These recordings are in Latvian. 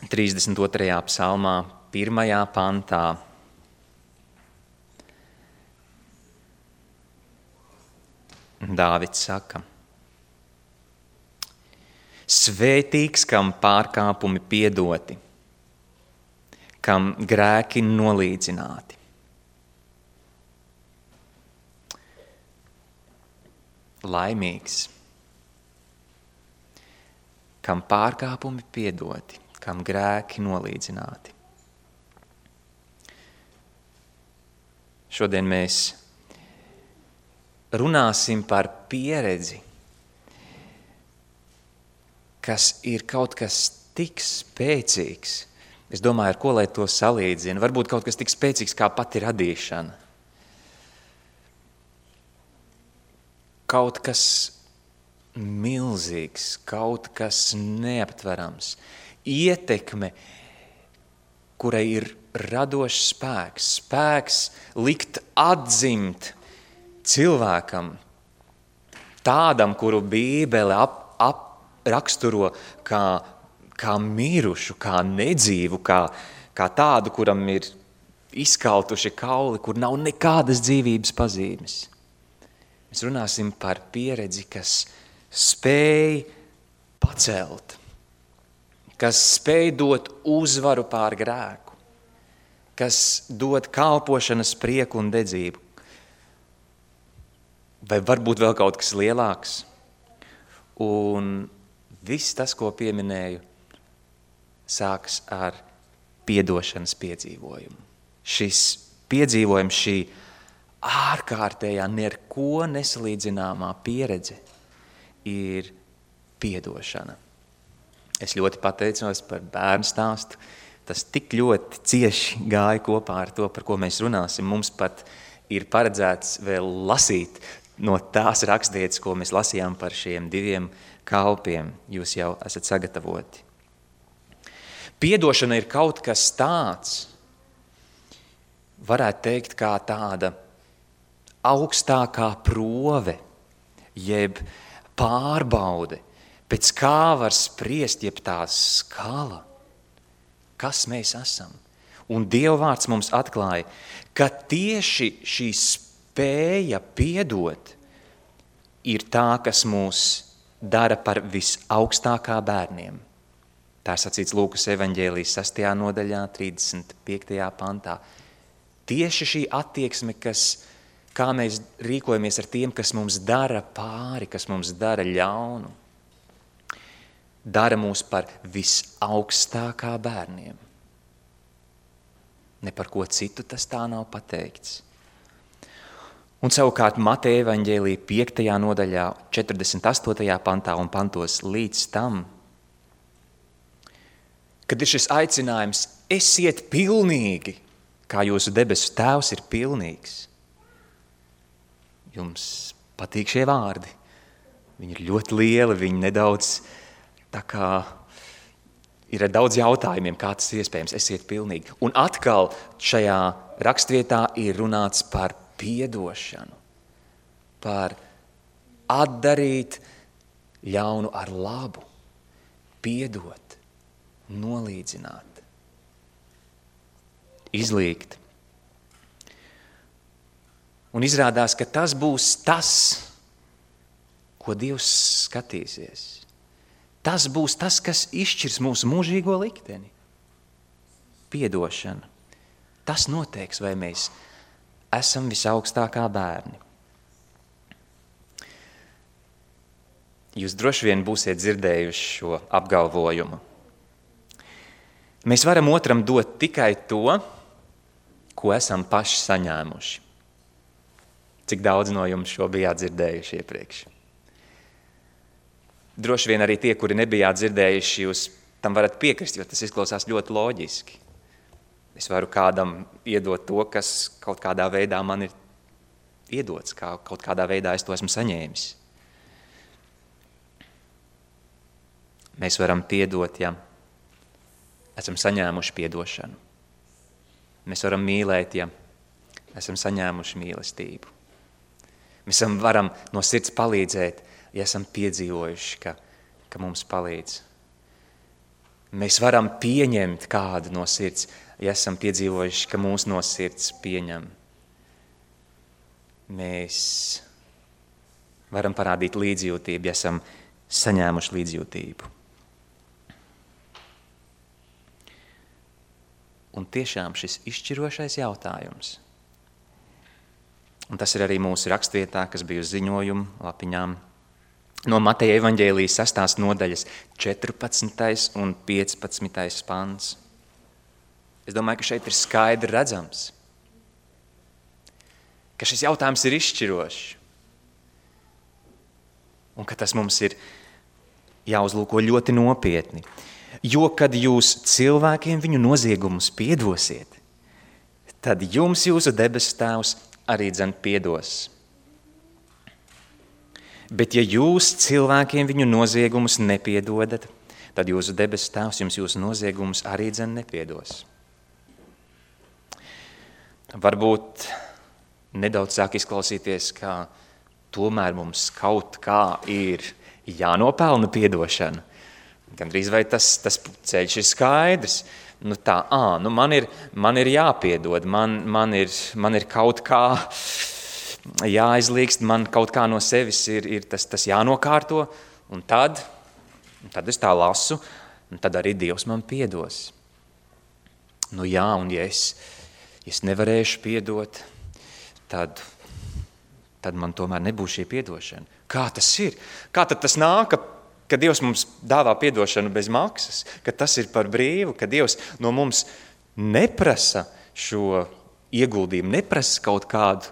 32. psalmā, 1. pantā. Dāvids saka: Svētīgs, kam pārkāpumi piedoti, kam grēki nolīdzināti. Laimīgs, kam pārkāpumi piedoti, kam grēki nolīdzināti. Šodien mēs runāsim par pieredzi, kas ir kaut kas tik spēcīgs. Es domāju, ar ko lai to salīdzinu. Varbūt kaut kas tik spēcīgs kā pati radīšana. Kaut kas milzīgs, kaut kas neaptverams. Ietekme, kurai ir radošs spēks. Spēks likt atzimt cilvēkam, tādam, kuru Bībele raksturo kā mirušu, kā nedzīvu, kā tādu, kuram ir izkaltuši kauli, kur nav nekādas dzīvības pazīmes. Mēs runāsim par pieredzi, kas spēj pacelt, kas spēj dot uzvaru pār grēku, kas dod kalpošanas prieku un dedzību. Vai varbūt vēl kaut kas lielāks? Un viss tas, ko pieminēju, sākas ar piedošanas piedzīvojumu. Šis piedzīvojums, šī ārkārtējā, neko nesalīdzināmā pieredze ir piedošana. Es ļoti pateicos par bērnu stāstu. Tas tik ļoti cieši gāja kopā ar to, par ko mēs runāsim. Mums pat ir paredzēts vēl lasīt no tās rakstvietas, ko mēs lasījām par šiem 2 kalpiem. Jūs jau esat sagatavoti. Piedošana ir kaut kas tāds, varētu teikt, kā tāda augstākā prove, jeb pārbaude, pēc kā var spriest, jeb tā skala, kas mēs esam. Un Dieva vārds mums atklāja, ka tieši šī spēja piedot ir tā, kas mūs dara par visaugstākā bērniem. Tā ir sacīts Lūkas evaņģēlijas 6. nodaļā, 35. pantā. Tieši šī attieksme, kā mēs rīkojamies ar tiem, kas mums dara pāri, kas mums dara ļaunu, dara mūs par visaugstākā bērniem. Ne par ko citu tas tā nav pateikts. Un savukārt Mateja evaņģēlija 5. nodaļā, 48. pantā un pantos līdz tam, kad ir šis aicinājums, esiet pilnīgi, kā jūsu debesu tēvs ir pilnīgs. Jums patīk šie vārdi. Viņi ir ļoti lieli, viņi nedaudz tā kā ir ar daudz jautājumiem, kā tas iespējams, esiet pilnīgi. Un atkal šajā rakstvietā ir runāts par piedošanu, par atdarīt ļaunu ar labu, piedot, nolīdzināt, izlīgt. Un izrādās, ka tas būs tas, ko Dievs skatīsies. Tas būs tas, kas izšķirs mūsu mūžīgo likteni. Piedošana. Tas noteiks, vai mēs esam visaugstākā bērni. Jūs droši vien būsiet dzirdējuši šo apgalvojumu. Mēs varam otram dot tikai to, ko esam paši saņēmuši. Cik daudz no jums šo bijāt dzirdējuši iepriekš? Droši vien arī tie, kuri nebijāt dzirdējuši, jūs tam varat piekrist, jo tas izklausās ļoti loģiski. Es varu kādam iedot to, kas kaut kādā veidā man ir iedots, kaut kādā veidā es to esmu saņēmis. Mēs varam piedot, ja esam saņēmuši piedošanu. Mēs varam mīlēt, ja esam saņēmuši mīlestību. Mēs varam no sirds palīdzēt, ja esam piedzīvojuši, ka mums palīdz. Mēs varam pieņemt kādu no sirds, ja esam piedzīvojuši, ka mūs no sirds pieņem. Mēs varam parādīt līdzjūtību, ja esam saņēmuši līdzjūtību. Un tiešām šis izšķirošais jautājums, un tas ir arī mūsu rakstvietā, kas bija uz ziņojumu lapiņām, no Mateja evaņģēlijas 6. nodaļas 14. un 15. pants. Es domāju, ka šeit ir skaidri redzams, ka šis jautājums ir izšķirošs un ka tas mums ir jāuzlūko ļoti nopietni. Jo, kad jūs cilvēkiem viņu noziegumus piedosiet, tad jums jūsu debesu Tēvs arī dzen piedos. Bet ja jūs cilvēkiem viņu noziegumus nepiedodat, tad jūsu debesu Tēvs jums jūsu noziegumus arī dzen nepiedos. Varbūt nedaudz sāk izklausīties, ka tomēr mums kaut kā ir jānopelna piedošana. Gandrīz vai tas ceļš ir skaidrs. Man ir jāpiedod, man ir kaut kā jāizlīgst, man kaut kā no sevis ir tas jānokārto, un tad es tā lasu, un tad arī Dievs man piedos. Un ja es nevarēšu piedot, tad man tomēr nebūs šī piedošana. Kā tas ir? Kā tad tas nāk, ka Dievs mums dāvā piedošanu bez maksas, ka tas ir par brīvu, ka Dievs no mums neprasa šo ieguldījumu, neprasa kaut kādu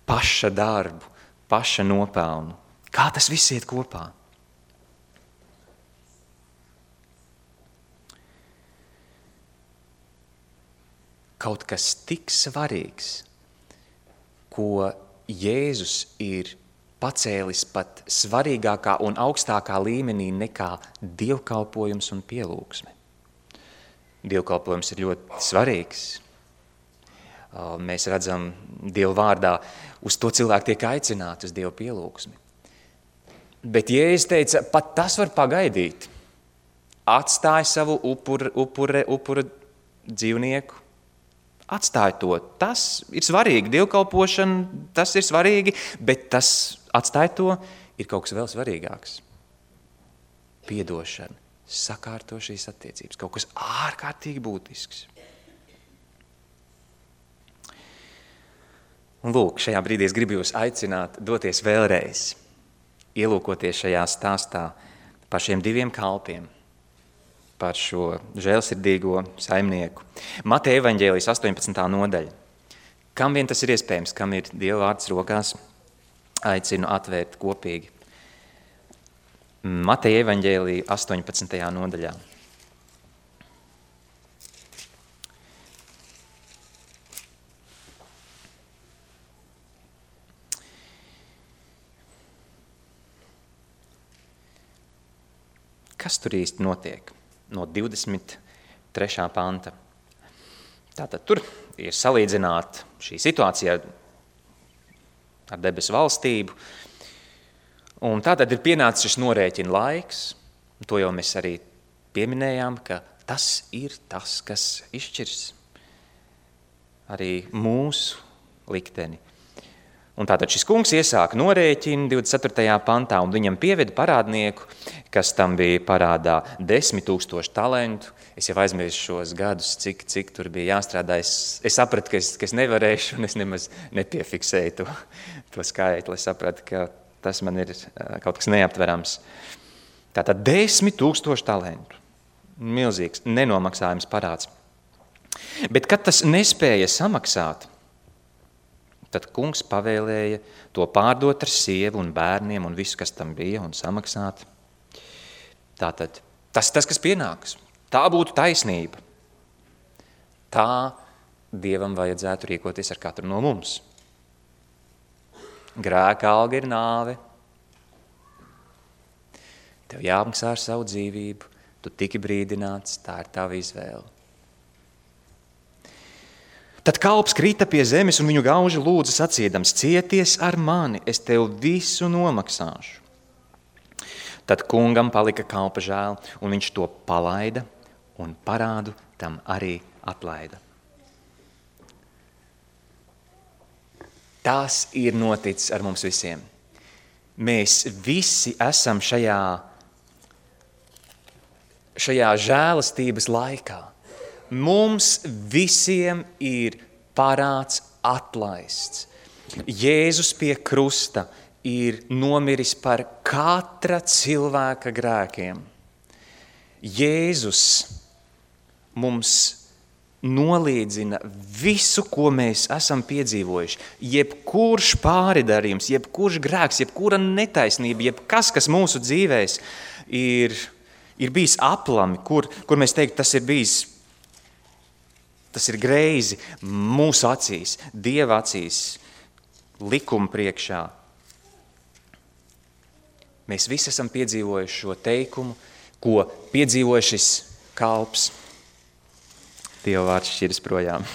paša darbu, paša nopelnu. Kā tas viss iet kopā? Kaut kas tik svarīgs, ko Jēzus ir pacēlis pat svarīgākā un augstākā līmenī nekā dievkalpojums un pielūgsme. Dievkalpojums ir ļoti svarīgs. Mēs redzam Dievu vārdā, uz to cilvēku tiek aicināti, uz Dievu pielūgsmi. Bet Jēzus teica, pat tas var pagaidīt. Atstāj savu upura dzīvnieku. Atstāj to. Tas ir svarīgi. Dievkalpošana, tas ir svarīgi, bet tas atstāj to ir kaut kas vēl svarīgāks. Piedošana, sakārto šīs attiecības. Kaut kas ārkārtīgi būtisks. Un lūk, šajā brīdī es gribu jūs aicināt doties vēlreiz, ielūkoties šajā stāstā par šiem 2 kalpiem, par šo žēlsirdīgo saimnieku. Mateja evaņģēlijas 18. nodaļa. Kam vien tas ir iespējams, kam ir Dieva vārds rokās, aicinu atvērt kopīgi. Mateja evaņģēlija 18. nodaļā. Kas tur īsti notiek? No 23. panta. Tātad tur ir salīdzināta šī situācija ar debesu valstību. Un tātad ir pienācis šis norēķina laiks. To jau mēs arī pieminējām, ka tas ir tas, kas izšķirs arī mūsu likteni. Un tātad šis kungs iesāka norēķinu 24. pantā, un viņam pieveda parādnieku, kas tam bija parādā 10 000 talentu. Es jau aizmirsu šos gadus, cik tur bija jāstrādā. Es sapratu, ka es nevarēšu, un es nemaz nepiefiksēju to skaitli. Es sapratu, ka tas man ir kaut kas neaptverams. Tātad 10 000 talentu. Milzīgs, nenomaksājums parāds. Bet, kad tas nespēja samaksāt, tad kungs pavēlēja to pārdot ar sievu un bērniem un visu, kas tam bija, un samaksāt. Tātad tas, kas pienāks. Tā būtu taisnība. Tā Dievam vajadzētu rīkoties ar katru no mums. Grēka alga ir nāve. Tev jāmaksā ar savu dzīvību. Tu tiki brīdināts, tā ir tava izvēle. Tad kalps krita pie zemes un viņu gauži lūdza sacīdams: cieties ar mani, es tev visu nomaksāšu. Tad kungam palika kalpa žēl, un viņš to palaida, un parādu tam arī atlaida. Tas ir noticis ar mums visiem. Mēs visi esam šajā žēlastības laikā. Mums visiem ir parāds atlaists. Jēzus pie krusta ir nomiris par katra cilvēka grēkiem. Jēzus mums nolīdzina visu, ko mēs esam piedzīvojuši. Jebkurš pāridarījums, jebkurš grēks, jebkura netaisnība, jebkas, kas mūsu dzīvēs ir bijis aplami, kur mēs teiktu, tas ir greizi mūsu acīs, Dieva acīs, likuma priekšā. Mēs visi esam piedzīvojuši šo teikumu, ko piedzīvoja šis kalps. Dieva vārds šķiras projām.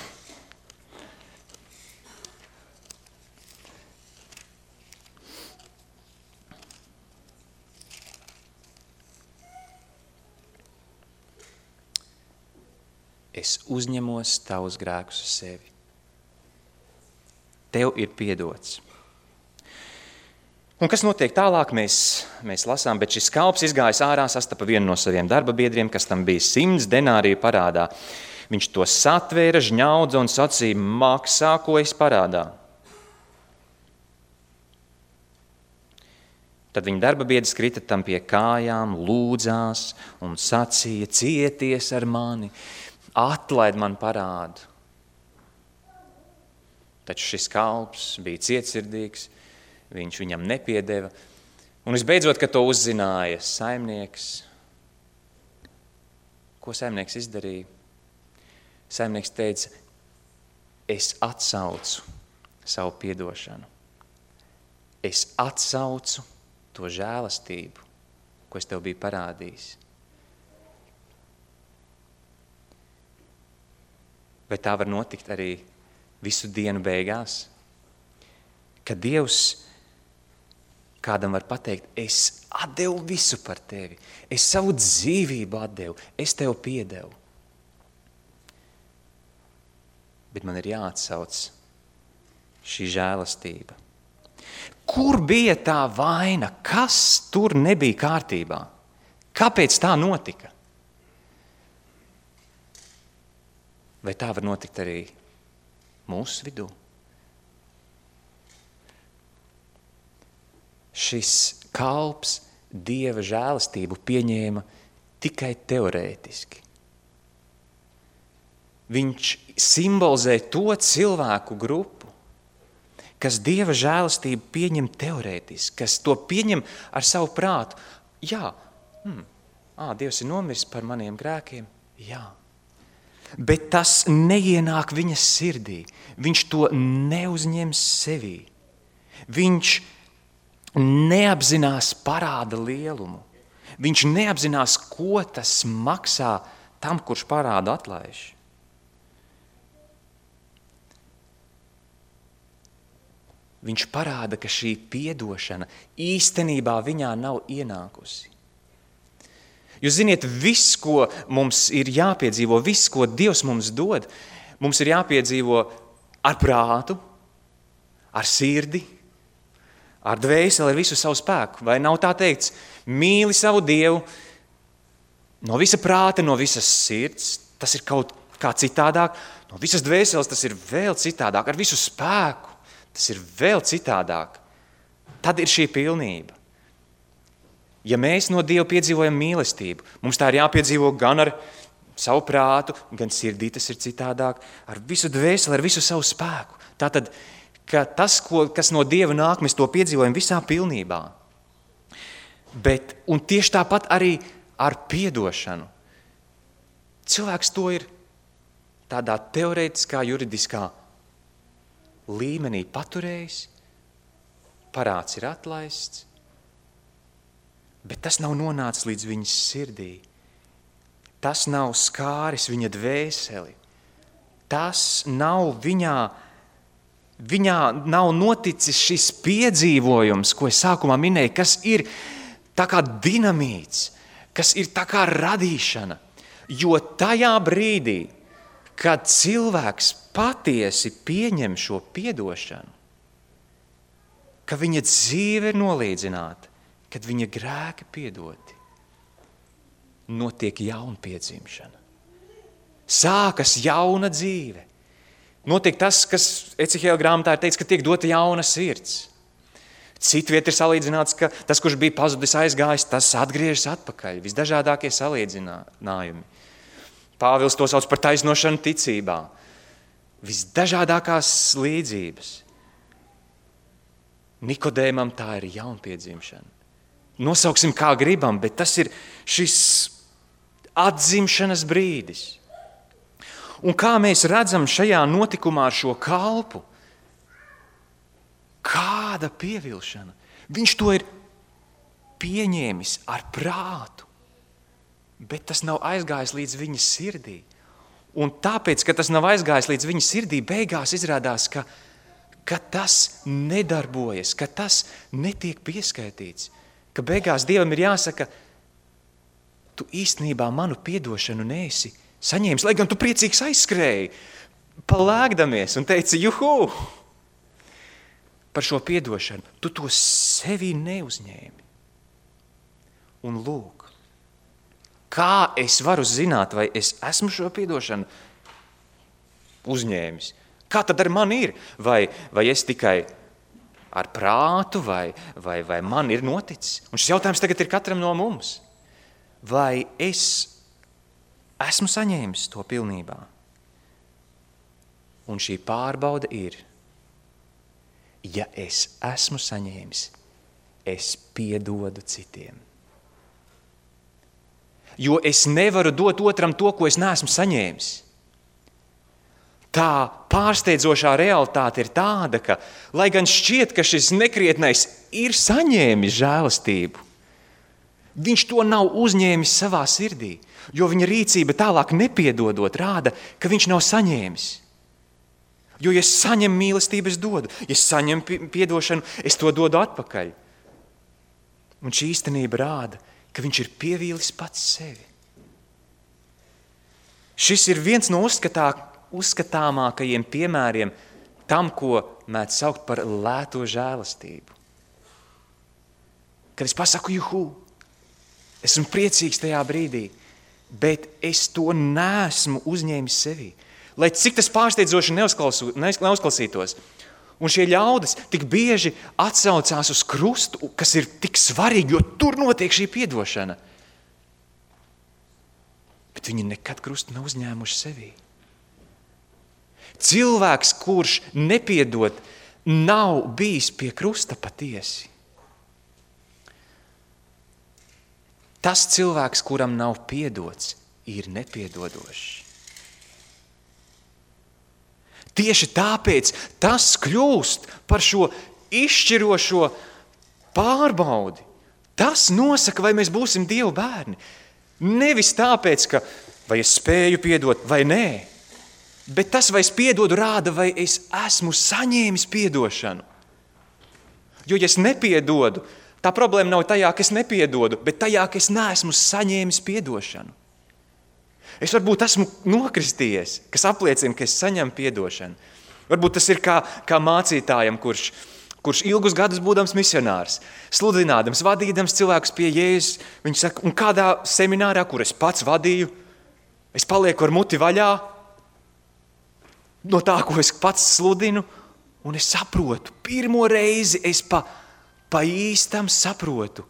Es uzņemos tavus grēkus uz sevi. Tev ir piedots. Un kas notiek tālāk, mēs lasām, bet šis kalps izgājis ārā, sastapa vienu no saviem darba biedriem, kas tam bija 100 denāriju parādā. Viņš to satvēra, žņaudza un sacīja, maksā, ko es parādā. Tad viņa darba biedrs krita tam pie kājām, lūdzās un sacīja, cieties ar mani, atlaid man parādu. Taču šis kalps bija cietsirdīgs, viņš viņam nepiedeva. Un visbeidzot, kad to uzzināja saimnieks, ko saimnieks izdarīja? Saimnieks teica, es atsaucu savu piedošanu. Es atsaucu to žēlastību, ko es tev biju parādījis. Vai tā var notikt arī visu dienu beigās? Kad Dievs kādam var pateikt, es atdevu visu par tevi, es savu dzīvību atdevu, es tev piedevu. Bet man ir jāatsauc šī žēlastība. Kur bija tā vaina? Kas tur nebija kārtībā? Kāpēc tā notika? Vai tā var notikt arī mūsu vidū? Šis kalps Dieva žēlastību pieņēma tikai teorētiski. Viņš simbolizē to cilvēku grupu, kas Dieva žēlastību pieņem teorētiski, kas to pieņem ar savu prātu. Jā, Dievs ir nomiris par maniem grēkiem, jā. Bet tas neienāk viņa sirdī. Viņš to neuzņems sevī. Viņš neapzinās parāda lielumu. Viņš neapzinās, ko tas maksā tam, kurš parādu atlaiž. Viņš parāda, ka šī piedošana īstenībā viņā nav ienākusi. Jūs ziniet, viss, ko mums ir jāpiedzīvo, viss, ko Dievs mums dod, mums ir jāpiedzīvo ar prātu, ar sirdi, ar dvēseli, ar visu savu spēku. Vai nav tā teikts, mīli savu Dievu no visa prāta, no visas sirds, tas ir kaut kā citādāk, no visas dvēseles tas ir vēl citādāk, ar visu spēku tas ir vēl citādāk. Tad ir šī pilnība. Ja mēs no Dieva piedzīvojam mīlestību, mums tā ir jāpiedzīvo gan ar savu prātu, gan sirdī tas ir citādāk, ar visu dvēseli, ar visu savu spēku. Tātad, ka tas, kas no Dieva nāk, mēs to piedzīvojam visā pilnībā. Un tieši tāpat arī ar piedošanu. Cilvēks to ir tādā teorētiskā, juridiskā līmenī paturējis, parāds ir atlaists, bet tas nav nonācis līdz viņas sirdī. Tas nav skāris viņa dvēseli. Tas nav viņā nav noticis šis piedzīvojums, ko es sākumā minēju, kas ir tā kā dinamīts, kas ir tā kā radīšana. Jo tajā brīdī, kad cilvēks patiesi pieņem šo piedošanu, ka viņa dzīve ir nolīdzināta, kad viņa grēki piedoti, notiek jaunpiedzimšana. Sākas jauna dzīve. Notiek tas, kas Ecehēla grāmatā ir teiks, ka tiek dota jauna sirds. Citviet ir salīdzināts, ka tas, kurš bija pazudis aizgājis, tas atgriežas atpakaļ. Visdažādākie salīdzinājumi. Pāvils to sauc par taisnošanu ticībā. Visdažādākās līdzības. Nikodēmam tā ir jaunpiedzimšana. Nosauksim kā gribam, bet tas ir šis atzimšanas brīdis. Un kā mēs redzam šajā notikumā ar šo kalpu, kāda pievilšana. Viņš to ir pieņēmis ar prātu, bet tas nav aizgājis līdz viņa sirdī. Un tāpēc, ka tas nav aizgājis līdz viņa sirdī, beigās izrādās, ka tas nedarbojas, ka tas netiek pieskaitīts, ka beigās Dievam ir jāsaka, tu īstenībā manu piedošanu neesi saņēmis, lai gan tu priecīgs aizskrēji, palēkdamies un teici, juhu, par šo piedošanu. Tu to sevī neuzņēmi. Un lūk, kā es varu zināt, vai es esmu šo piedošanu uzņēmis? Kā tad ar mani ir? Vai es tikai ar prātu, vai man ir noticis? Un šis jautājums tagad ir katram no mums. Vai es esmu saņēmis to pilnībā? Un šī pārbauda ir, ja es esmu saņēmis, es piedodu citiem. Jo es nevaru dot otram to, ko es neesmu saņēmis. Tā pārsteidzošā realitāte ir tāda, ka, lai gan šķiet, ka šis nekrietnais ir saņēmis žēlastību, viņš to nav uzņēmis savā sirdī, jo viņa rīcība tālāk nepiedodot rāda, ka viņš nav saņēmis. Jo, ja es saņemu mīlestību, es dodu. Ja es saņemu piedošanu, es to dodu atpakaļ. Un šī īstenība rāda, ka viņš ir pievīlis pats sevi. Šis ir viens no uzskatāmākajiem piemēriem tam, ko mēdz saukt par lēto žēlastību. Kad es pasaku, juhu, esmu priecīgs tajā brīdī, bet es to neesmu uzņēmis sevī. Lai cik tas pārsteidzoši neuzklausītos. Un šie ļaudis tik bieži atsaucās uz krustu, kas ir tik svarīgi, jo tur notiek šī piedošana. Bet viņi nekad krustu nav uzņēmuši sevī. Cilvēks, kurš nepiedod, nav bijis pie krusta patiesi. Tas cilvēks, kuram nav piedots, ir nepiedodošs. Tieši tāpēc tas kļūst par šo izšķirošo pārbaudi. Tas nosaka, vai mēs būsim Dieva bērni. Nevis tāpēc, ka vai es spēju piedot vai nē, bet tas, vai es piedodu, rāda, vai es esmu saņēmis piedošanu. Jo, ja es nepiedodu, tā problēma nav tajā, ka es nepiedodu, bet tajā, ka es neesmu saņēmis piedošanu. Es varbūt esmu nokristījies, kas apliecina, ka es saņemu piedošanu. Varbūt tas ir kā mācītājam, kurš ilgus gadus būdams misionārs, sludinādams, vadīdams cilvēkus pie Jēzus. Viņš saka, un kādā seminārā, kur es pats vadīju, es palieku ar muti vaļā no tā, ko es pats sludinu, un es saprotu, pirmo reizi es pa īstam saprotu,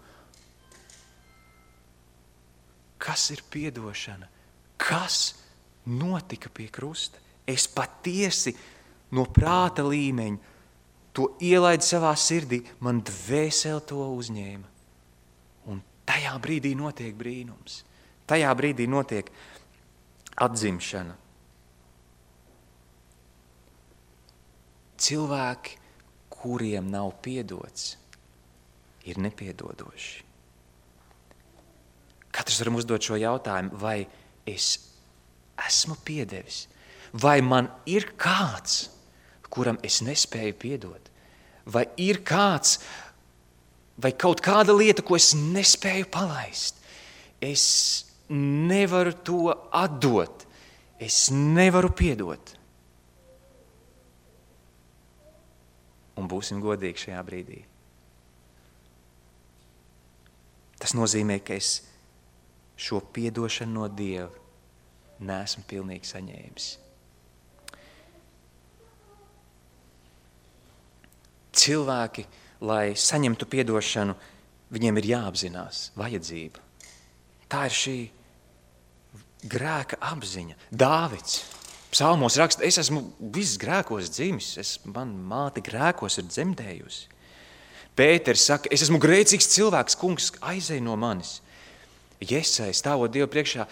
kas ir piedošana. Kas notika pie krusta? Es patiesi no prāta līmeņa to ielaidu savā sirdī, man dvēsele to uzņēma. Un tajā brīdī notiek brīnums. Tajā brīdī notiek atzimšana. Cilvēki, kuriem nav piedots, ir nepiedodoši. Katrs varam uzdot šo jautājumu, vai es esmu piedevis, vai man ir kāds, kuram es nespēju piedot, vai ir kāds, vai kaut kāda lieta, ko es nespēju palaist. Es nevaru to atdot. Es nevaru piedot. Un būsim godīgi šajā brīdī. Tas nozīmē, ka es šo piedošanu no Dieva neesmu pilnīgi saņēmis. Cilvēki, lai saņemtu piedošanu, viņiem ir jāapzinās vajadzība. Tā ir šī grēka apziņa. Dāvids psalmos raksta, es esmu viss grēkos dzimis, man māte grēkos ir dzemdējusi. Pēters saka, es esmu grēcīgs cilvēks, kungs, aizej no manis. Jesai, stāvot Dievu priekšā,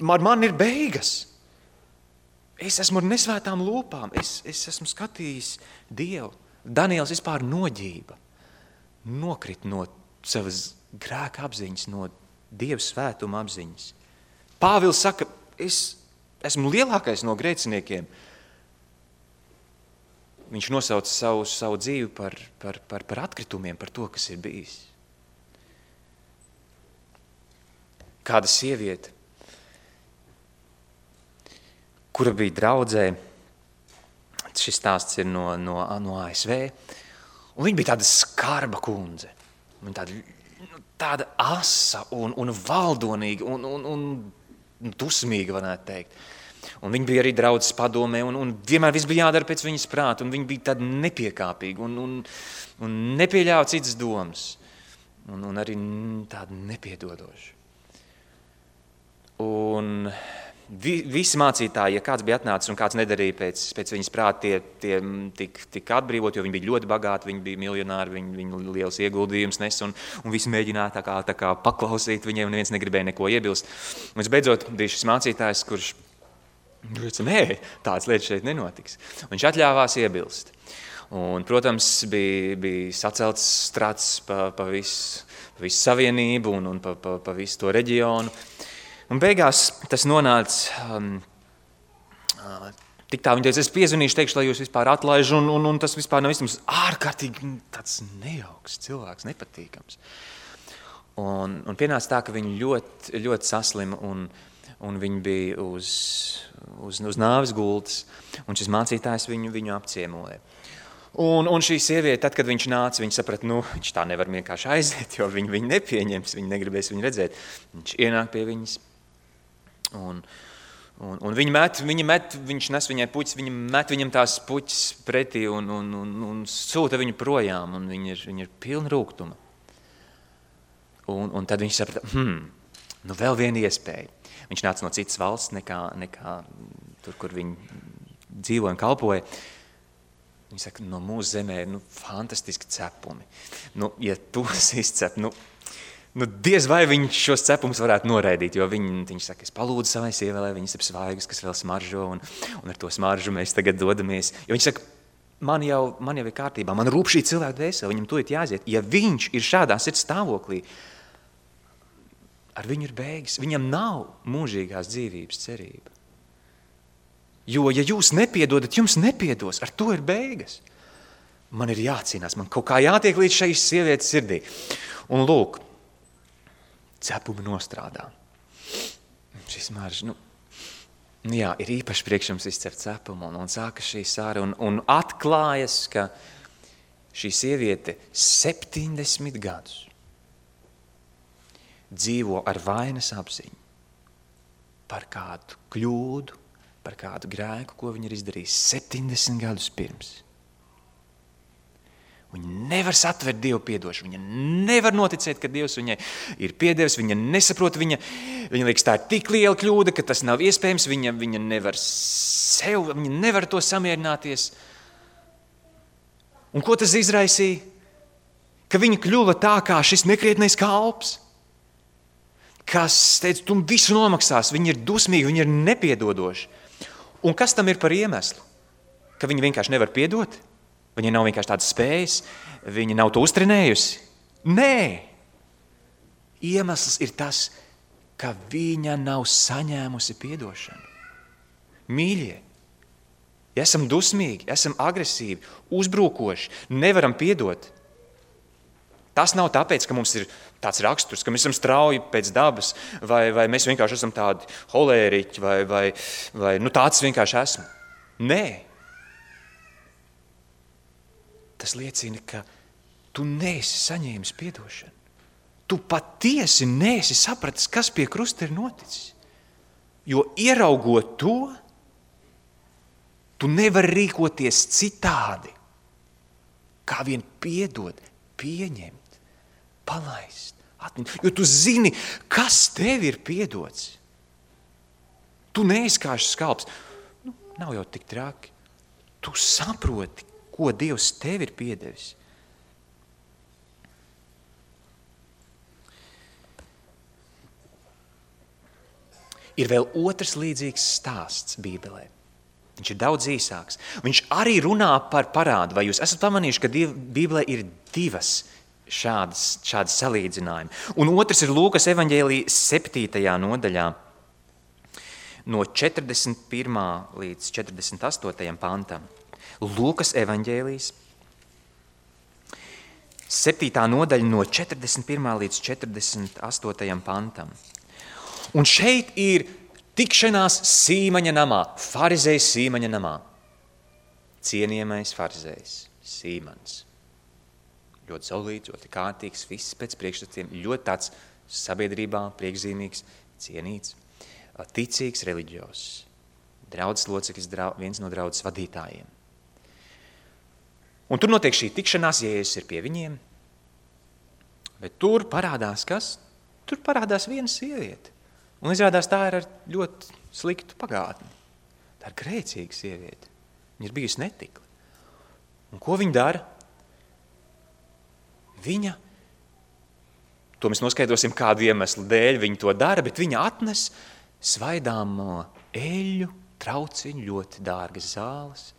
man ir beigas. Es esmu ar nesvētām lūpām, es esmu skatījis Dievu. Daniels vispār noģība, nokrit no savas grēka apziņas, no Dieva svētuma apziņas. Pāvils saka, es esmu lielākais no grēciniekiem. Viņš nosauc savu dzīvi par atkritumiem, par to, kas ir bijis. Kāda sieviete, kura bija draudzē, šis stāsts ir no ASV, un viņa bija tāda skarba kundze. Viņa tāda asa un valdonīga un dusmīga, varētu teikt. Un viņa bija arī draudzes padomē, un vienmēr viss bija jādara pēc viņas prāta, un viņa bija tāda nepiekāpīga, un nepieļāva citas domas, un arī tāda nepiedodoša. Un visi mācītāji, ja kāds bija atnācis un kāds nedarīja pēc viņas prāta, tie tika atbrīvot, jo viņi bija ļoti bagāti, viņi bija miljonāri, viņi liels ieguldījums nes, un visi mēģināja tā kā paklausīt viņiem, un neviens negribēja neko iebilst. Un visbeidzot bija šis mācītājs, kurš teica, nē, tādas lietas šeit nenotiks. Viņš atļāvās iebilst. Un, protams, bija sacelts strats pa visu savienību un pa visu to reģionu. Un beigās tas nonāca tik tā, viņa teica, es piezvanīšu, teikšu, lai jūs vispār atlaiž, un tas vispār nav vismaz ārkārtīgi tāds nejauks cilvēks, nepatīkams. Un pienāca tā, ka viņa ļoti, ļoti saslima, un viņa bija uz nāves gultas, un šis mācītājs viņu apciemoja. Un šī sieviete, tad, kad viņš nāca, viņa saprata, viņš tā nevar vienkārši aiziet, jo viņu nepieņems, viņa negribēs viņu redzēt. Viņš ienāk pie viņas, un viņš nes viņai puķis, viņa met viņam tās puķis pretī un sūta viņu projām, un viņa ir pilna rūgtuma. Un tad viņš saprata, vēl viena iespēja. Viņš nāca no citas valsts nekā tur, kur viņi dzīvoja un kalpoja. Viņi saka, no mūsu zemē ir fantastiski cepumi. Ja tos izcep, diez vai viņš šos cepumus varētu noraidīt, jo viņš saka, es palūdzu savai sievai, lai viņas ir svaigas, kas vēl smaržo, un ar to smaržu mēs tagad dodamies. Jo viņš saka, man jau ir kārtībā, man rūp šī cilvēka dvēsele, viņam to ir jāiziet. Ja viņš ir šādā sirds stāvoklī, ar viņu ir beigas, viņam nav mūžīgās dzīvības cerība. Jo, ja jūs nepiedodat, jums nepiedos, ar to ir beigas. Man ir jācīnās, man kaut kā jātiek līdz šai sievietes sirdī. Un lūk, cepumi nostrādā. Šis maržs, ir īpaši priekš jums izcept cepumu, un sākas šī sāra, un atklājas, ka šī sieviete 70 gadus dzīvo ar vainas apziņu par kādu kļūdu, par kādu grēku, ko viņa ir izdarījis 70 gadus pirms. Viņa nevar satvert Dievu piedošanu, viņa nevar noticēt, ka Dievs viņai ir piedevis, viņa nesaprot, viņa liekas, tā ir tik liela kļūda, ka tas nav iespējams, viņa nevar to samierināties. Un ko tas izraisīja? Ka viņa kļuva tā kā šis nekrietnais kalps, kas teica, tu visu nomaksās, viņa ir dusmīga, viņa ir nepiedodoša. Un kas tam ir par iemeslu? Ka viņa vienkārši nevar piedot? Viņa nav vienkārši tādas spējas? Viņa nav to uztrenējusi? Nē! Iemesls ir tas, ka viņa nav saņēmusi piedošanu. Mīļie, ja esam dusmīgi, esam agresīvi, uzbrukoši, nevaram piedot, Tas nav tāpēc, ka mums ir tāds raksturs, ka mēs esam strauji pēc dabas, vai mēs vienkārši esam tādi holēriķi, vai tāds vienkārši esmu. Nē. Tas liecina, ka tu neesi saņēmis piedošanu. Tu patiesi neesi sapratis, kas pie krusta ir noticis. Jo ieraugot to, tu nevari rīkoties citādi, kā vien piedot, pieņemt, palaist, atmiņu. Jo tu zini, kas tev ir piedots. Tu neesi kā šis skalps. Nav jau tik traki. Tu saproti, ko Dievs tev ir piedevis. Ir vēl otrs līdzīgs stāsts Bībelē. Viņš ir daudz īsāks. Viņš arī runā par parādu. Vai jūs esat pamanījuši, ka Bībelē ir divas šādas salīdzinājumi? Un otrs ir Lūkas evaņģēlija 7. nodaļā no 41. līdz 48. pantam. Lūkas evaņģēlijas 7. nodaļa no 41. līdz 48. pantam. Un šeit ir tikšanās Sīmaņa namā, farizejs Sīmaņa namā. Cienījamais farizejs Sīmans. Ļoti saulīts, ļoti kārtīgs, viss pēc priekšstatiem, ļoti tāds sabiedrībā priekšzīmīgs, cienīts, ticīgs, reliģios. Draudzes loceklis, viens no draudzes vadītājiem. Un tur notiek šī tikšanās, Jēzus ir pie viņiem. Bet tur parādās kas? Tur parādās viena sieviete. Un izrādās, tā ir ar ļoti sliktu pagātni. Tā ir grēcīga sieviete. Viņa ir bijusi netikli. Un ko viņa dara? Viņa, to mēs noskaidrosim kādu iemeslu dēļ, viņa to dara, bet viņa atnes svaidāmo eļļu, trauciņu, ļoti dārgas zāles.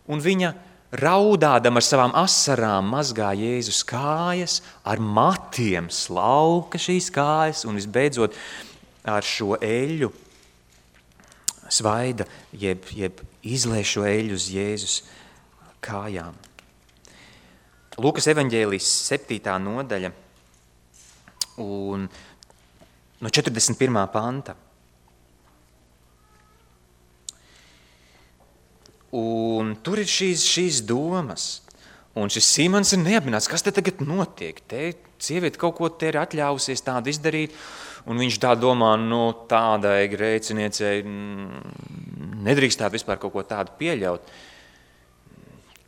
Un viņa raudādam ar savām asarām mazgā Jēzus kājas, ar matiem slauka šīs kājas un visbeidzot ar šo eļļu svaida, jeb izlēj šo eļļu uz Jēzus kājām. Lūkas evaņģēlijas 7. nodaļa un no 41. panta. Un tur ir šīs domas. Un šis Sīmans ir neapmierināts, kas te tagad notiek. Te sieviete kaut ko te ir atļāvusies tādu izdarīt, un viņš tā domā, tādai grēciniecei nedrīkstētu vispār kaut ko tādu pieļaut.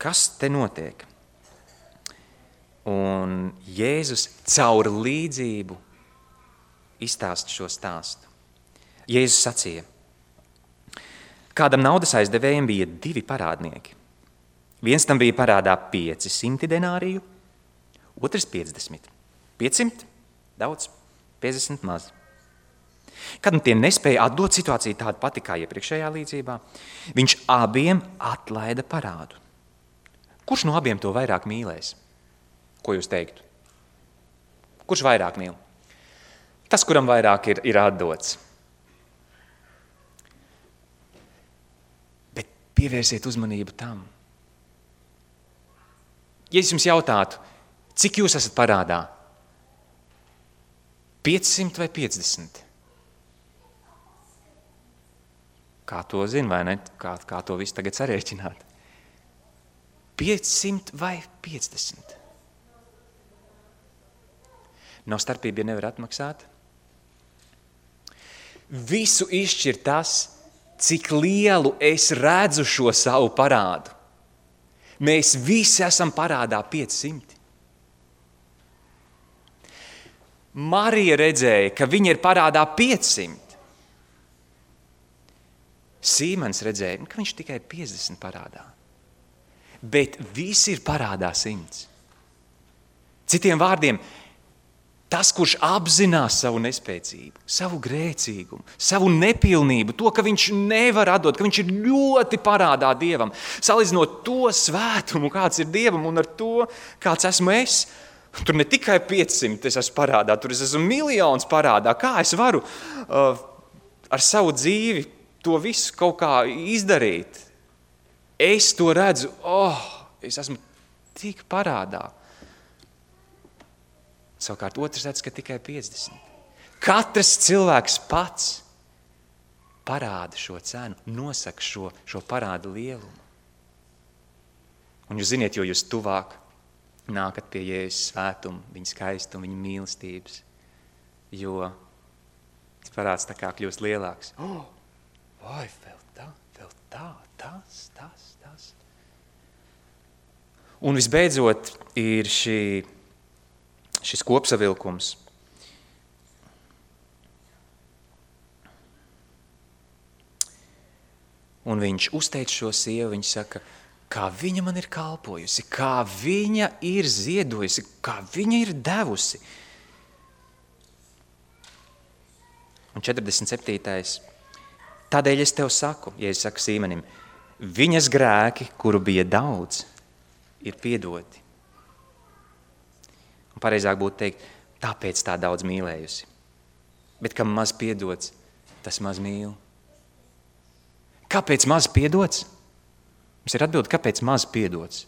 Kas te notiek? Un Jēzus caur līdzību izstāsta šo stāstu. Jēzus sacīja: kādam naudas aizdevējiem bija 2 parādnieki. Viens tam bija parādā 500 denāriju, otrs 50. 500 daudz, 50 maz. Kad tie nespēja atdot, situācija tāda pati kā iepriekšējā līdzībā, viņš abiem atlaida parādu. Kurš no abiem to vairāk mīlēs? Ko jūs teiktu? Kurš vairāk mīl? Tas, kuram vairāk ir atdots. Bet pievērsiet uzmanību tam. Ja es jums jautātu, cik jūs esat parādā? 500 vai 50? Kā to zina, vai ne? Kā to visu tagad sarēķināt? 500 vai 50? Nav starpība, ja nevar atmaksāt. Visu izšķir tas, cik lielu es redzu šo savu parādu. Mēs visi esam parādā 500. Marija redzēja, ka viņa ir parādā 500. Sīmans redzēja, ka viņš tikai 50 parādā. Bet visi ir parādā 100. Citiem vārdiem, tas, kurš apzinās savu nespēcību, savu grēcīgumu, savu nepilnību, to, ka viņš nevar atdot, ka viņš ir ļoti parādā Dievam, salīdzinot to svētumu, kāds ir Dievam, un ar to, kāds esmu es, tur ne tikai 500 es esmu parādā, tur es esmu miljons parādā. Kā es varu ar savu dzīvi to visu kaut kā izdarīt? Es to redzu, es esmu tik parādā. Savukārt otrs redz, ka tikai 50. Katrs cilvēks pats parāda šo cenu, nosaka šo parādu lielumu. Un jūs ziniet, jo jūs tuvāk nākat pie Jēzus svētuma, viņa skaistuma, viņa mīlestības, jo parāds tā kā kļūst lielāks. Vai, vēl tā, tas. Un visbeidzot ir šis kopsavilkums. Un viņš uzteic šo sievu, viņš saka, kā viņa man ir kalpojusi, kā viņa ir ziedojusi, kā viņa ir devusi. Un 47. Tādēļ es tev saku, ja es saku Sīmenim, viņas grēki, kuru bija daudz, ir piedoti. Un pareizāk būtu teikt, tāpēc tā daudz mīlējusi. Bet kam maz piedots, tas maz mīl. Kāpēc maz piedots? Mums ir atbilde, kāpēc maz piedots?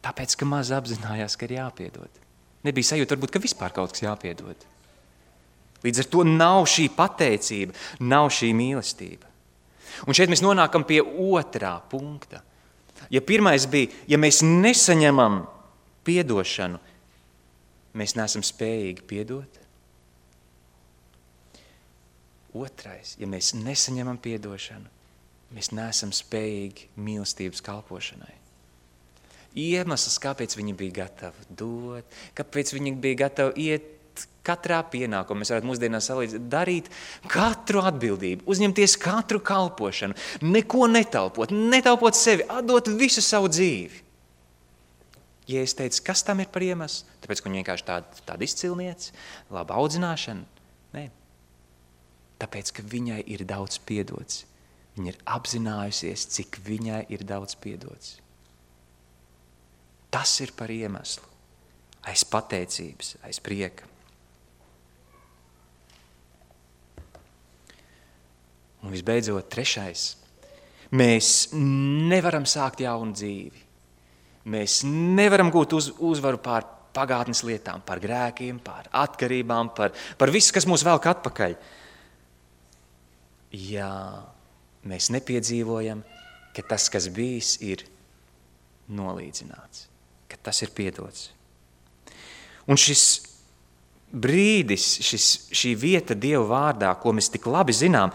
Tāpēc, ka maz apzinājās, ka ir jāpiedod. Nebija sajūta, varbūt, ka vispār kaut kas jāpiedod. Līdz ar to nav šī pateicība, nav šī mīlestība. Un šeit mēs nonākam pie otrā punkta. Ja pirmais bija, ja mēs nesaņemam piedošanu, mēs neesam spējīgi piedot. Otrais, ja mēs nesaņemam piedošanu, mēs neesam spējīgi mīlestības kalpošanai. Iemesls, kāpēc viņi bija gatavi dot, kāpēc viņi bija gatavi iet katrā pienākumā, mēs varētu mūsdienās salīdzināt, darīt katru atbildību, uzņemties katru kalpošanu, neko netaupot sevi, atdot visu savu dzīvi. Ja es teicu, kas tam ir par iemeslu? Tāpēc, ka viņi vienkārši tāda izcilniece, laba audzināšana? Nē. Tāpēc, ka viņai ir daudz piedots. Viņa ir apzinājusies, cik viņai ir daudz piedots. Tas ir par iemeslu. Aiz pateicības, aiz prieka. Un visbeidzot, trešais. Mēs nevaram sākt jaunu dzīvi. Mēs nevaram gūt uzvaru pār pagātnes lietām, par grēkiem, par atkarībām, par visu, kas mūs velk atpakaļ. Ja mēs nepiedzīvojam, ka tas, kas bijis, ir nolīdzināts, ka tas ir piedots. Un šis brīdis, šī vieta Dieva vārdā, ko mēs tik labi zinām,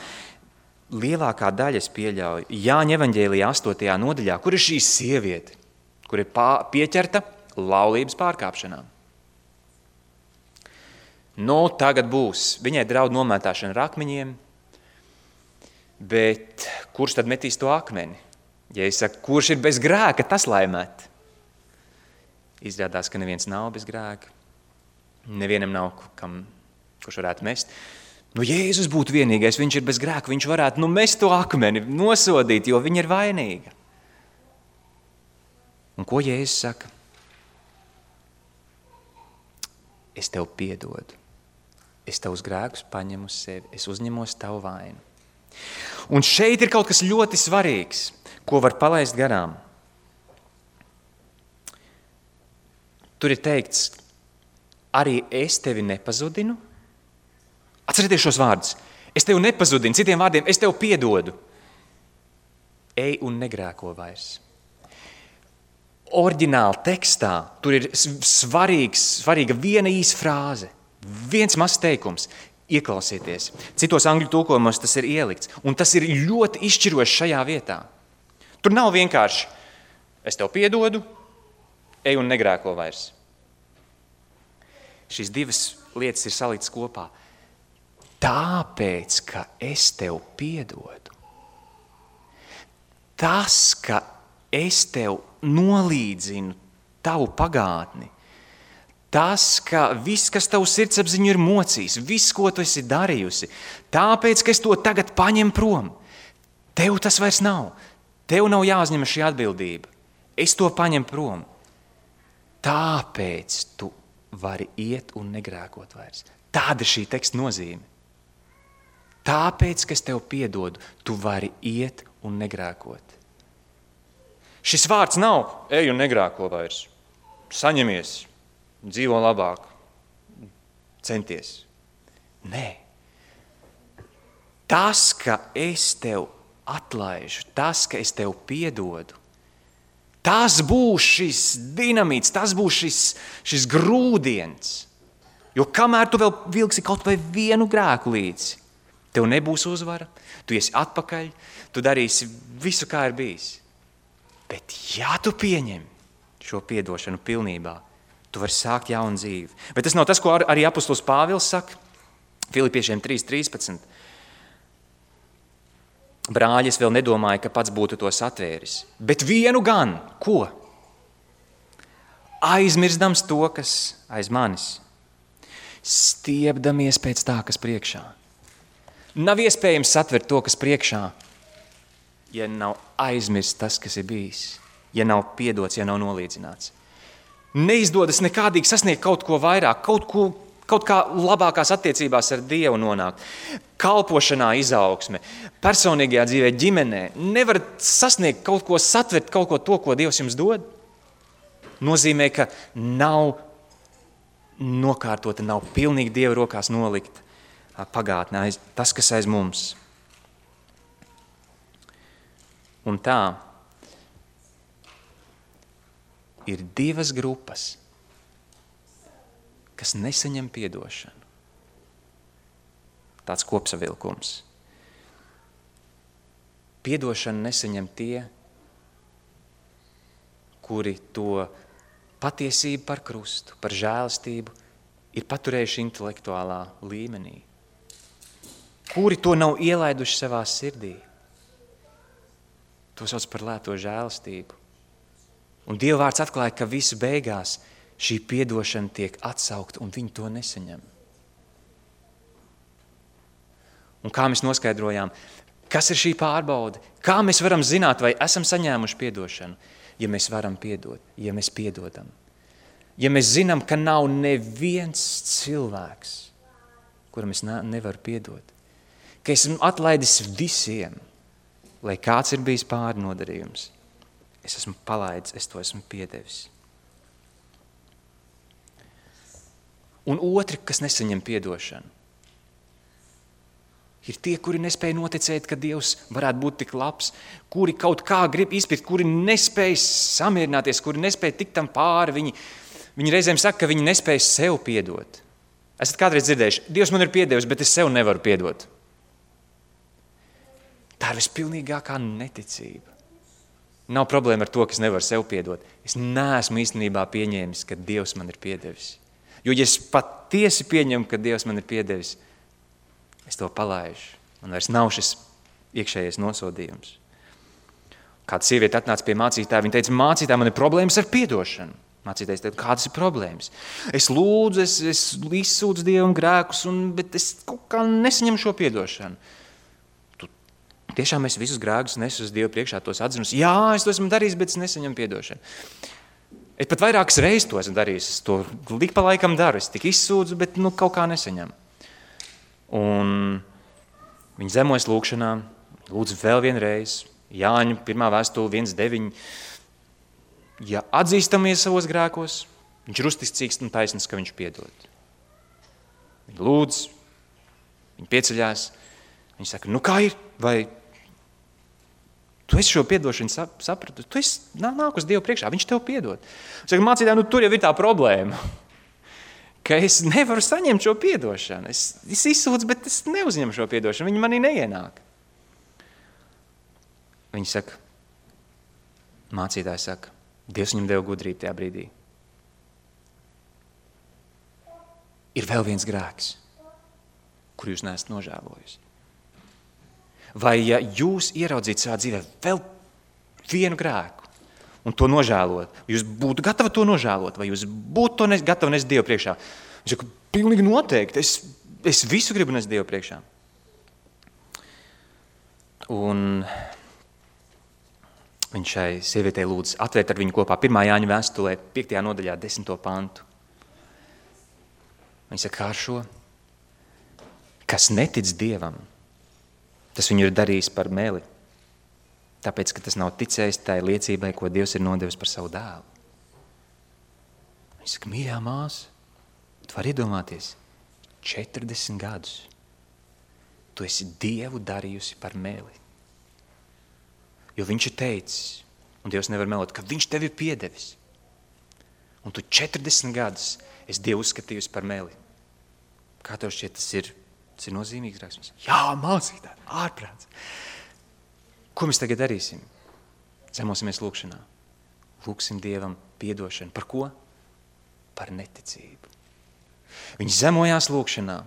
lielākā daļa es pieļauju Jāņa evaņģēlijā 8. nodaļā, kur ir šī sieviete, kur ir pieķerta laulības pārkāpšanām. Tagad būs. Viņai draud nomētāšana ar akmeņiem, bet kurš tad metīs to akmeni? Ja es saku, kurš ir bez grēka, tas lai met. Izrādās, ka neviens nav bez grēka. Nevienam nav, kurš varētu mest. Jēzus būtu vienīgais, viņš ir bez grēka, viņš varētu mest to akmeni, nosodīt, jo viņa ir vainīga. Un ko Jēzus saka? Es tev piedodu. Es tavus grēkus paņemu uz sevi. Es uzņemos tavu vainu. Un šeit ir kaut kas ļoti svarīgs, ko var palaist garām. Tur ir teikts, arī es tevi nepazudinu. Atcerieties šos vārdus. Es tevi nepazudinu, citiem vārdiem, es tev piedodu. Ej un negrēko vairs. Oriģināli tekstā tur ir svarīga viena īsa frāze, viens mazs teikums. Ieklausieties. Citos angļu tulkojumos tas ir ielikts, un tas ir ļoti izšķiroši šajā vietā. Tur nav vienkārši, es tev piedodu, ej un negrēko vairs. Šīs divas lietas ir saliktas kopā. Tāpēc, ka es tev piedodu. Tas, ka es tev nolīdzinu tavu pagātni, tas, ka viss, kas tavu sirdsapziņu ir mocījis, viss, ko tu esi darījusi, tāpēc, ka es to tagad paņem prom, tev tas vairs nav. Tev nav jāuzņem šī atbildība. Es to paņem prom. Tāpēc tu vari iet un negrēkot vairs. Tāda ir šī teksta nozīme. Tāpēc, ka es tev piedodu, tu vari iet un negrēkot. Šis vārds nav ej un negrēko vairs. Saņemies. dzīvo labāk, centies. Nē. Tas, ka es tev atlaižu, tas, ka es tev piedodu, tas būs šis dinamīts, tas būs šis grūdiens. Jo kamēr tu vēl vilksi kaut vai vienu grēku līdzi, tev nebūs uzvara, tu esi atpakaļ, tu darīsi visu, kā ir bijis. Bet ja tu pieņem šo piedošanu pilnībā, tu vari sākt jaunu dzīvi. Bet tas nav tas, ko arī apostols Pāvils saka, Filipiešiem 3:13. Brāļi, es vēl nedomāju, ka pats būtu to satvēris. Bet vienu gan, ko? Aizmirstams to, kas aiz manis. Stiepdamies pēc tā, kas priekšā. Nav iespējams satvert to, kas priekšā, ja nav aizmirst tas, kas ir bijis. Ja nav piedots, ja nav nolīdzināts. Neizdodas nekādīgi sasniegt kaut ko vairāk, kaut kā labākās attiecībās ar Dievu nonākt. Kalpošanā izaugsme, personīgajā dzīvē, ģimenē. Nevar sasniegt kaut ko, satvert kaut ko to, ko Dievs jums dod. Nozīmē, ka nav nokārtota, nav pilnīgi Dieva rokās nolikt pagātnē, tas, kas aiz mums. Un tā ir divas grupas, kas nesaņem piedošanu. Tāds kopsavilkums. Piedošanu nesaņem tie, kuri to patiesību par krustu, par žēlastību ir paturējuši intelektuālā līmenī. Kuri to nav ielaiduši savā sirdī. To sauc par lēto žēlastību. Un Dieva vārds atklāja, ka visu beigās šī piedošana tiek atsaukta un viņi to nesaņem. Un kā mēs noskaidrojām, kas ir šī pārbaude? Kā mēs varam zināt, vai esam saņēmuši piedošanu? Ja mēs varam piedot, ja mēs piedodam. Ja mēs zinām, ka nav neviens cilvēks, kuram es nevaru piedot. Ka esmu atlaidis visiem, lai kāds ir bijis pārnodarījums. Es esmu palaidis, es to esmu piedevis. Un otri, kas nesaņem piedošanu, ir tie, kuri nespēja noticēt, ka Dievs varētu būt tik labs, kuri kaut kā grib izpirkt, kuri nespēja samierināties, kuri nespēja tikt tam pāri. Viņi reizēm saka, ka viņi nespēja sev piedot. Esat kādreiz dzirdējuši, Dievs man ir piedevis, bet es sev nevaru piedot. Tā ir vispilnīgākā neticība. Nav problēma ar to, ka es nevaru sev piedot. Es neesmu īstenībā pieņēmis, ka Dievs man ir piedevis. Jo, ja es patiesi pieņemu, ka Dievs man ir piedevis, es to palaižu. Man vairs nav šis iekšējais nosodījums. Kāda sieviete atnāca pie mācītāja, viņa teica, mācītāja, man ir problēmas ar piedošanu. Mācītājs teica, kādas ir problēmas? Es lūdzu, es izsūdzu Dievam grēkus, bet es kaut kā nesaņemu šo piedošanu. Tiešām es visus grēkus nesu uz Dievu priekšā, tos atzinus. Jā, es to esmu darījis, bet es nesaņemu piedošanu. Es pat vairākas reizes to esmu darījis. Es to lik pa laikam daru. Es tik izsūdzu, bet kaut kā nesaņemu. Un viņa zemojas lūkšanā, lūdzu vēl vienreiz, Jāņa 1. vēstule 1.9. Ja atzīstamies savos grēkos, viņš ir uzticīgs un taisnīgs, ka viņš piedod. Viņa lūdz, viņa pieceļās, viņa saka, kā ir, vai tu esi šo piedošanu sapratu, tu esi nāk uz Dievu priekšā, viņš tev piedod. Viņš saka, mācītāji, tur jau ir tā problēma, ka es nevaru saņemt šo piedošanu. Es izsūdzu, bet es neuzņemu šo piedošanu, viņi manī neienāk. Viņi saka, mācītāji saka, Dievs viņam deva gudrību tajā brīdī. Ir vēl viens grēks, kur jūs neesat nožēlojusi. Vai ja jūs ieraudzītu savā dzīvē vēl vienu grēku un to nožēlot, jūs būtu gatavi to nožēlot, vai jūs būtu to gatavi nest Dievu priekšā? Viņš saka, pilnīgi noteikti, es visu gribu nest Dievu priekšā. Un viņš šai sievietei lūdz atvērt ar viņu kopā 1. Jāņa vēstulē, 5. nodaļā, 10. pantu. Viņš saka, kā ar šo? Kas netic Dievam, tas viņu ir darījis par meli, tāpēc, ka tas nav ticējis tai liecībai, ko Dievs ir nodevis par savu dēlu. Viņa saka, mīļā māsa, tu vari iedomāties, 40 gadus tu esi Dievu darījusi par meli. Jo viņš ir teicis, un Dievs nevar melot, ka viņš tevi ir piedevis. Un tu 40 gadus esi Dievu uzskatījusi par meli. Kā tev šķiet, tas ir nozīmīgs raksturs? Jā, mācītāji, ārprāts. Ko mēs tagad darīsim? Zemosimies lūkšanā. Lūksim Dievam piedošanu. Par ko? Par neticību. Viņi zemojās lūkšanā.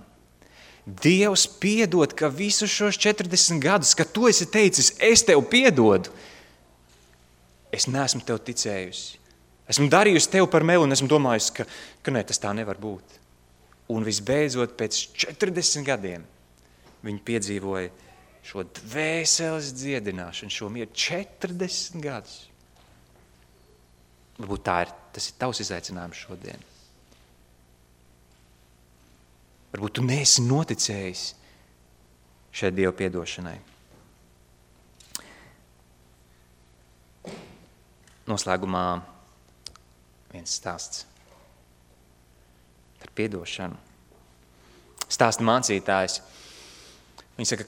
Dievs piedod, ka visus šos 40 gadus, kad tu esi teicis, es tev piedodu, es neesmu tev ticējusi. Esmu darījusi tev par meli un esmu domājusi, ka ne, tas tā nevar būt. Un visbeidzot, pēc 40 gadiem viņi piedzīvoja šo dvēseles dziedināšanu, šo mieru 40 gadus. Varbūt tas ir tavs izaicinājums šodien. Varbūt tu neesi noticējis šai Dieva piedošanai. Noslēgumā viens stāsts par piedošanu. Stāsta mācītājs. Viņš saka,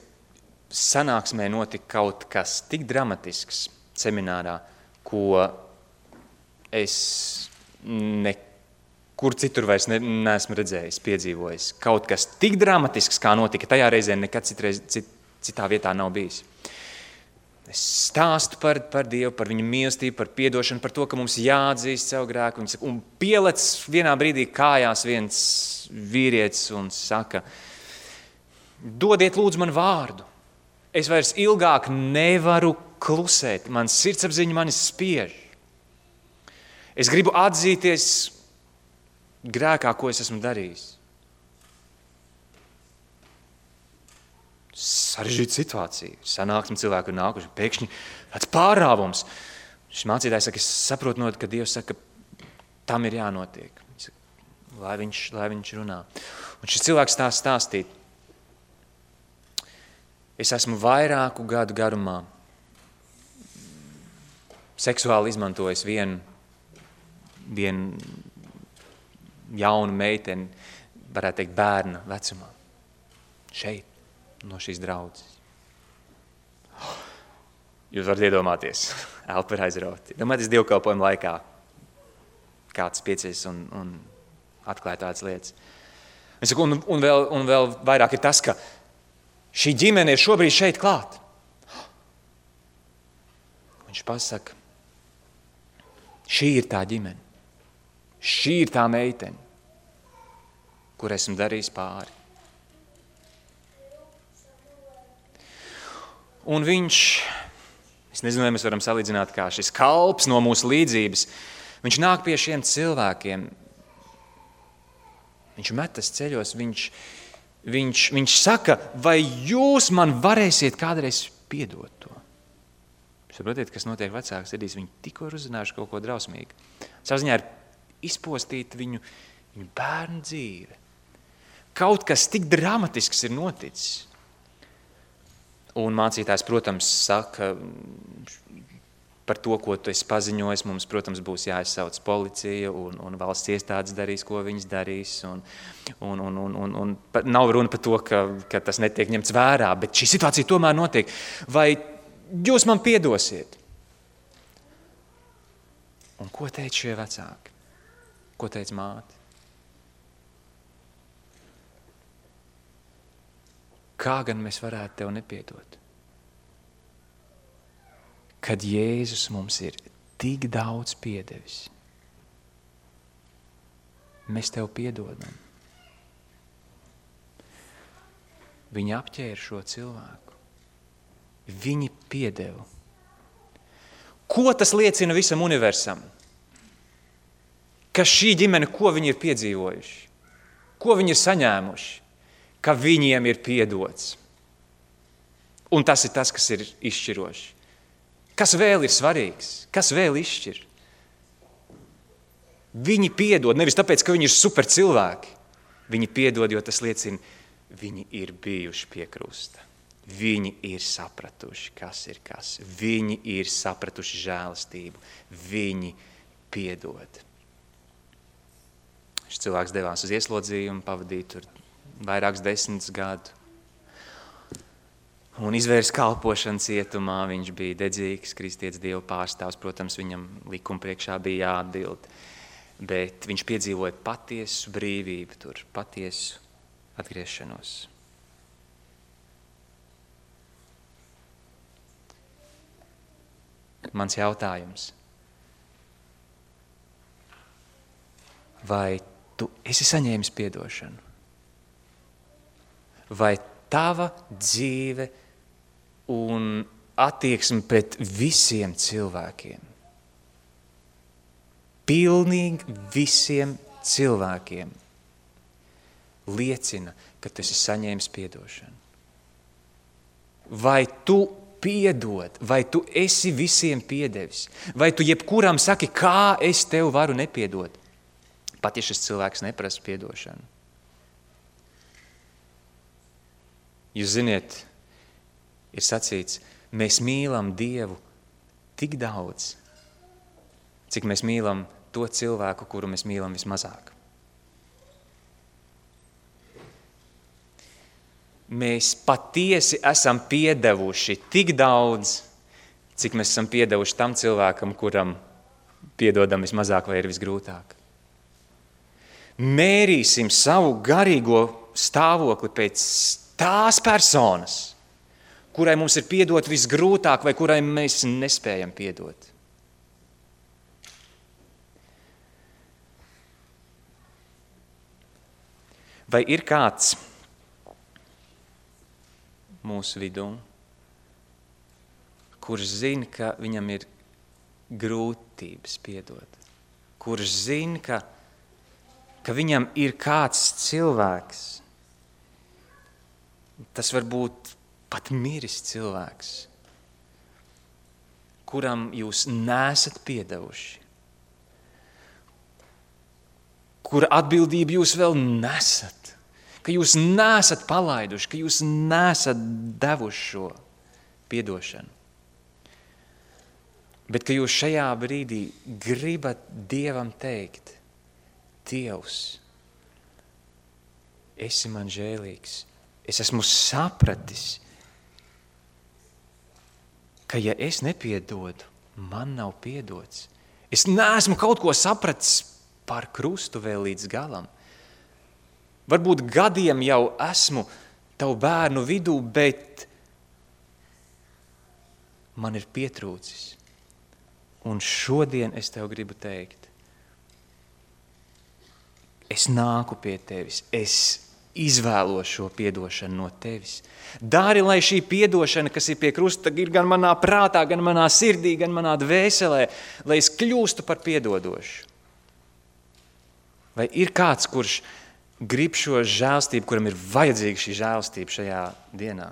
sanāksmē notika kaut kas tik dramatisks seminārā, ko es nekur citur vairs neesmu redzējis, piedzīvojis. Kaut kas tik dramatisks, kā notika tajā reizē, nekad citā vietā nav bijis. Es stāstu par Dievu, par viņa mīlestību, par piedošanu, par to, ka mums jāatzīst savu grēku. Un pielec vienā brīdī kājās viens vīrietis un saka, dodiet lūdzu man vārdu. Es vairs ilgāk nevaru klusēt. Man sirdsapziņa mani spiež. Es gribu atzīties grēkā, ko es esmu darījis. Sarežģīta situācija. Sanāksme cilvēku ir nākuši. Pēkšņi tāds pārāvums. Šis mācītājs saka, es saprotu, ka Dievs saka, tam ir jānotiek. Lai viņš runā. Un šis cilvēks tā stāstīt. Es esmu vairāku gadu garumā seksuāli izmantojis vienu jaunu meiteni, varētu teikt, bērna vecumā. Šeit, no šīs draudzes. Jūs varat iedomāties, elpa ir aizrauti. Domājieties dievkalpojuma laikā. Kāds piecies un atklāja tādas lietas. Es saku, un vēl vairāk ir tas, ka šī ģimene ir šobrīd šeit klāt. Viņš pasaka, šī ir tā ģimene. Šī ir tā meitene, kur esmu darījis pāri. Un viņš, es nezinu, vai mēs varam salīdzināt kā šis kalps no mūsu līdzības, viņš nāk pie šiem cilvēkiem, viņš metas ceļos, viņš saka, vai jūs man varēsiet kādreiz piedot to? Saprotiet, kas notiek vecāks sirdīs, viņi tikko ir uzzinājuši kaut ko drausmīgu. Savā ziņā ir izpostīt viņu bērnu dzīve. Kaut kas tik dramatisks ir noticis. Un mācītājs, protams, saka par to, ko tu esi paziņojis. Mums, protams, būs jāizsauc policija un valsts iestādes darīs, ko viņas darīs. Un nav runa par to, ka tas netiek ņemts vērā, bet šī situācija tomēr notiek. Vai jūs man piedosiet? Un ko teica šie vecāki? Ko teica māte? Kā gan mēs varētu tev nepiedot? Kad Jēzus mums ir tik daudz piedevis, mēs tev piedodam. Viņi apķēra šo cilvēku. Viņi piedeva. Ko tas liecina visam universam? Ka šī ģimene, ko viņi ir piedzīvojuši? Ko viņi ir saņēmuši? Ka viņiem ir piedots. Un tas ir tas, kas ir izšķiroši. Kas vēl ir svarīgs? Kas vēl izšķir? Viņi piedod, nevis tāpēc, ka viņi ir super cilvēki. Viņi piedod, jo tas liecina, viņi ir bijuši pie krusta. Viņi ir sapratuši, kas ir kas. Viņi ir sapratuši žēlastību. Viņi piedod. Šis cilvēks devās uz ieslodzījumu, pavadīja tur vairākus 10 gadu. Un izvērs kalpošanu cietumā, viņš bija dedzīgs, kristietis Dieva pārstāvs, protams, viņam likuma priekšā bija jāatbild. Bet viņš piedzīvoja patiesu brīvību tur, patiesu atgriešanos. Mans jautājums. Vai tu esi saņēmis piedošanu? Vai tava dzīve un attieksme pret visiem cilvēkiem, pilnīgi visiem cilvēkiem, liecina, ka tu esi saņēmis piedošanu? Vai tu piedod, vai tu esi visiem piedevis? Vai tu jebkuram saki, kā es tev varu nepiedot? Pat ja šis cilvēks neprasa piedošanu. Jūs ziniet, ir sacīts, mēs mīlam Dievu tik daudz, cik mēs mīlam to cilvēku, kuru mēs mīlam vismazāk. Mēs patiesi esam piedevuši tik daudz, cik mēs esam piedevuši tam cilvēkam, kuram piedodam vismazāk vai ir visgrūtāk. Mērīsim savu garīgo stāvokli pēc tās personas, kurai mums ir piedot visgrūtāk vai kurai mēs nespējam piedot. Vai ir kāds mūsu vidū, kurš zina, ka viņam ir grūtības piedot, kurš zina, ka viņam ir kāds cilvēks, tas var būt pat miris cilvēks, kuram jūs neesat piedevuši, kura atbildību jūs vēl nesat, ka jūs neesat palaiduši, ka jūs neesat devuši šo piedošanu. Bet ka jūs šajā brīdī gribat Dievam teikt, Dievs, esi man žēlīgs, es esmu sapratis, ka ja es nepiedodu, man nav piedots. Es neesmu kaut ko sapratis par krustu vēl līdz galam. Varbūt gadiem jau esmu tavu bērnu vidū, bet man ir pietrūcis. Un šodien es tev gribu teikt, es nāku pie tevis, es izvēlos šo piedošanu no tevis. Dari, lai šī piedošana, kas ir pie krusta, ir gan manā prātā, gan manā sirdī, gan manā dvēselē, lai es kļūstu par piedodošu. Vai ir kāds, kurš grib šo žēlstību, kuram ir vajadzīga šī žēlstība šajā dienā?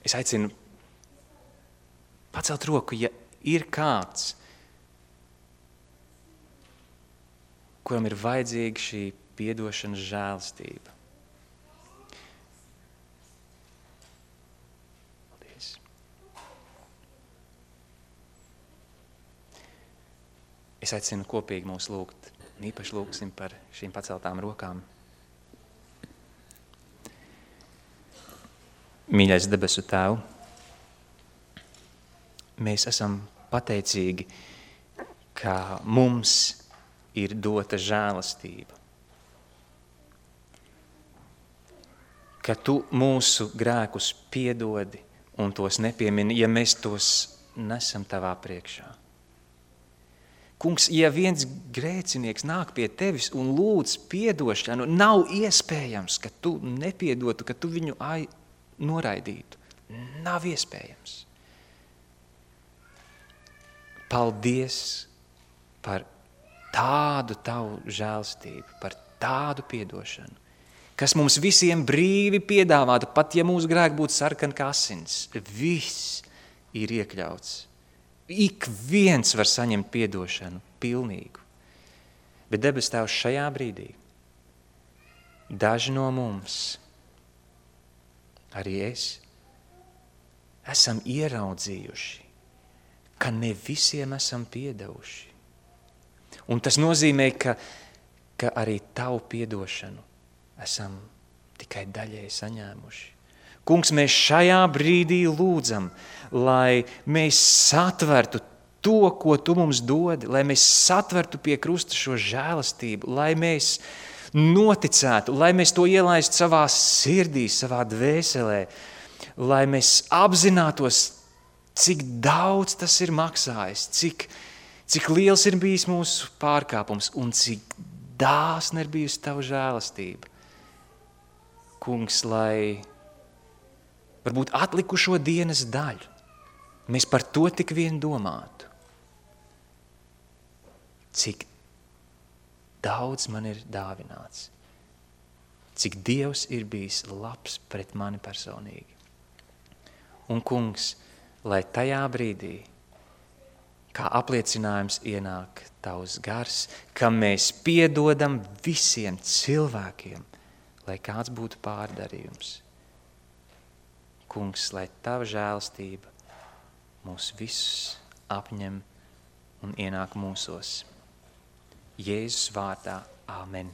Es aicinu pacelt roku, ja ir kāds, kuram ir vajadzīga šī piedošanas žēlstība. Paldies. Es aicinu kopīgi mūs lūgt, un īpaši lūgsim par šīm paceltām rokām. Mīļais debesu Tēv, mēs esam pateicīgi, ka mums ir dota žēlastība, ka Tu mūsu grēkus piedodi un tos nepiemini, ja mēs tos nesam Tavā priekšā. Kungs, ja viens grēcinieks nāk pie Tevis un lūdz piedošanu, nav iespējams, ka Tu nepiedotu, ka Tu viņu noraidītu. Nav iespējams. Paldies par tādu Tavu žēlstību, par tādu piedošanu, kas mums visiem brīvi piedāvātu, pat ja mūsu grēki būtu sarkani kā asins. Viss ir iekļauts. Ik viens var saņemt piedošanu pilnīgu. Bet debes Tēvs, šajā brīdī daži no mums, arī es, esam ieraudzījuši, ka ne visiem esam piedevuši. Un tas nozīmē, ka arī tavu piedošanu esam tikai daļēji saņēmuši. Kungs, mēs šajā brīdī lūdzam, lai mēs satvertu to, ko tu mums dodi, lai mēs satvertu pie krusta šo žēlastību, lai mēs noticētu, lai mēs to ielaistu savā sirdī, savā dvēselē, lai mēs apzinātos, cik daudz tas ir maksājis, cik liels ir bijis mūsu pārkāpums un cik dāsna ir bijusi tava žēlastība. Kungs, lai varbūt atlikušo dienas daļu mēs par to tik vien domātu. Cik daudz man ir dāvināts, cik Dievs ir bijis labs pret mani personīgi. Un, Kungs, lai tajā brīdī, kā apliecinājums ienāk tavs gars, ka mēs piedodam visiem cilvēkiem, lai kāds būtu pārdarījums. Kungs, lai tava žēlastība mūs visus apņem un ienāk mūsos. Jēzus vārdā. Āmen.